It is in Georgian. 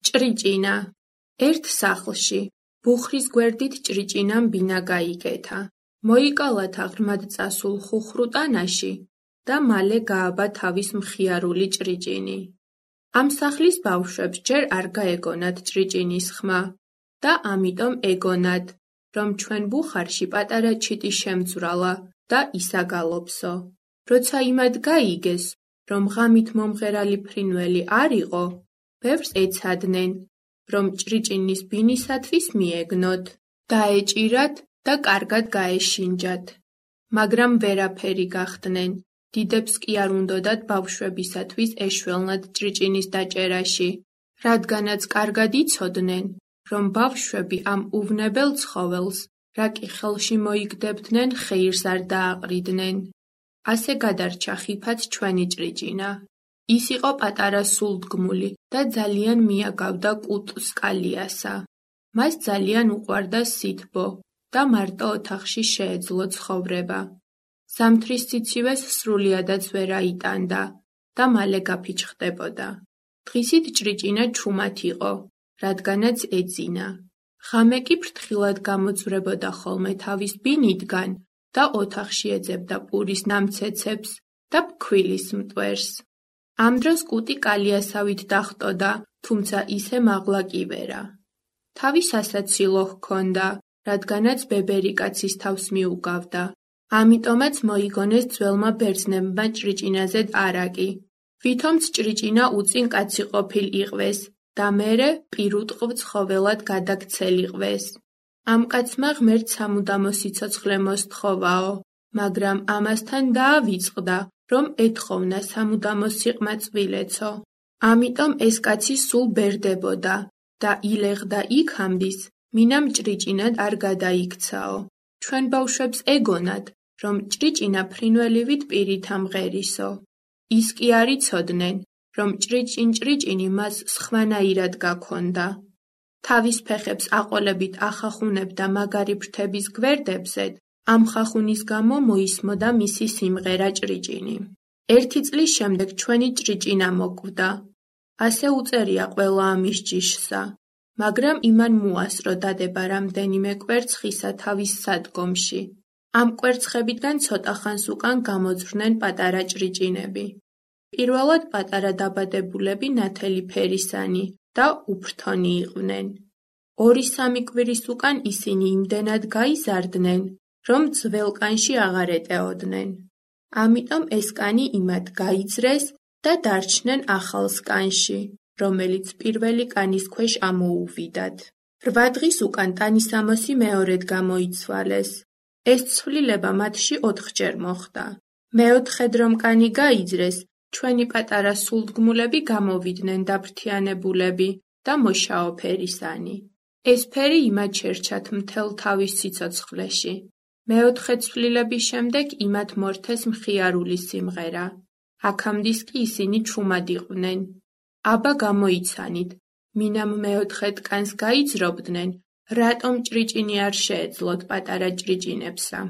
ჭრიჭინა. ერთ სახლში, ბუხრის გვერდით ჭრიჭინამ ბინა გაიგეთა. მოიკალათა ღრმად წასულ ხუხრუტანაში და მალე გააბა თავის მხიარული ჭრიჭინი. ამ სახლის ბავშვებს ჯერ არ გაეგონათ ჭრიჭინის ხმა და ამიტომ ეგონათ, რომ ჩვენ ბუხარში პატარა ჩიტი შემძვრალა და ისაგალობსო. როცა იმად გაიგეს, რომ ღამით მომღერალი ფრინველი არ იყო, ბევრს ეცადნენ, რომ ჭრიჭინის ბინისათვის მიეგნოთ, დაეჭირათ და კარგად გაეშინჯათ. მაგრამ ვერაფერი გახდნენ, დიდებს კი არ უნდოდათ ბავშვებისათვის ეშველნად ჭრიჭინის დაჭერაში, რადგანაც კარგად იცოდნენ, რომ ბავშვები ამ უვნებელ ცხოველს, რა კი ხელში მოიგდებდნენ, ხეირს არ დააყრიდნენ. ასე გადარჩა ხიფად ჩვენი ჭრიჭინა. ის იყო პატარა სულდგმული და ძალიან მიაგავდა კუტს კალიასა. მას ძალიან უყვარდა სითბო და მარტო ოთახში შეეძლო ცხოვრება. ზამთრის სიცივეს სრულიადაც ვერ აიტანდა და მალე გაფიჩხდებოდა. დღისით ჭრიჭინა ჩუმად იყო, რადგანაც ეძინა. ღამე კი ფრთხილად გამოძვრებოდა ხოლმე თავის ბინიდგან და ოთახში ეძებდა პურის ნამცეცებს და ფქვილის მტვერს. ამ დროს კუტი კალიასავით დახტოდა, თუმცა ისე მაღლა კი ვერა. თავი სასაცილო ჰქონდა, რადგანაც ბებერი კაცის თავს მიუგავდა. ამიტომაც მოიგონეს ძველმა ბერძნებმა ჭრიჭინაზედ არაკი. ვითომც ჭრიჭინა უწინ კაცი ყოფილ იყვეს და მერე პირუტყვა ცხოველად გადაქცელიყვეს. ამ კაცმა ღმერთს სამუდამო სიცოცხლე მოსთხოვაო, მაგრამ ამასთან დაავიწყდა, რომ ეთხოვნა სამუდამო სიყმაწვილეცო. ამიტომ ეს კაცი სულ ბერდებოდა და ილეღდა იქამდის, მინამ ჭრიჭინად არ გადაიქცაო. ჩვენ ბავშვებს ეგონათ, რომ ჭრიჭინა ფრინველივით პირით ამღერისო. ის კი არ იცოდნენ, რომ ჭრიჭინი მას სხვანაირად გაქონდა. თავის ფეხებს აყოლებით ახახუნებდა მაგარი ფრთების გვერდებზე, ამ ხახუნის გამო მოისმოდა მისი სიმღერა ჭრიჭინი. ერთი წლის შემდეგ ჩვენი ჭრიჭინა მოკვდა. ასე უწერია ყველა ამის ჯიშსა, მაგრამ იმან მოასწრო დადება რამდენიმე კვერცხისა თავის სადგომში. ამ კვერცხებიდან ცოტა ხანს უკან გამოძვრნენ პატარა ჭრიჭინები. პირველად პატარა დაბადებულები ნათელი ფერისანი და უფრთონი იყვნენ. 2-3 კვირის უკან ისინი იმდენად გაიზარდნენ, რომ ძველ კანში აღარ ეტეოდნენ. ამიტომ ეს კანი იმათ გაიძრეს და დარჩნენ ახალ კანში, რომელიც პირველი კანის ქვეშ ამოუვიდათ. 8 დღის უკან ტანისამოსი მეორედ გამოიცვალეს. ეს ცვლილება მათში 4-ჯერ მოხდა. მეოთხედ რომ კანი გაიძრეს, ჩვენი პატარა სულდგმულები გამოვიდნენ დაფრთიანებულები და მოშაო ფერისანი. ეს ფერი იმათ შერჩათ მთელ თავის სიცოცხლეში. მეოთხე ცვლილების შემდეგ იმათ მორთეს მხიარული სიმღერა. აქამდის კი ისინი ჩუმად იყვნენ. აბა გამოიცანით, მინამ მეოთხედ კანს გაიძრობდნენ, რატომ ჭრიჭინი არ შეეძლოთ პატარა ჭრიჭინებსა.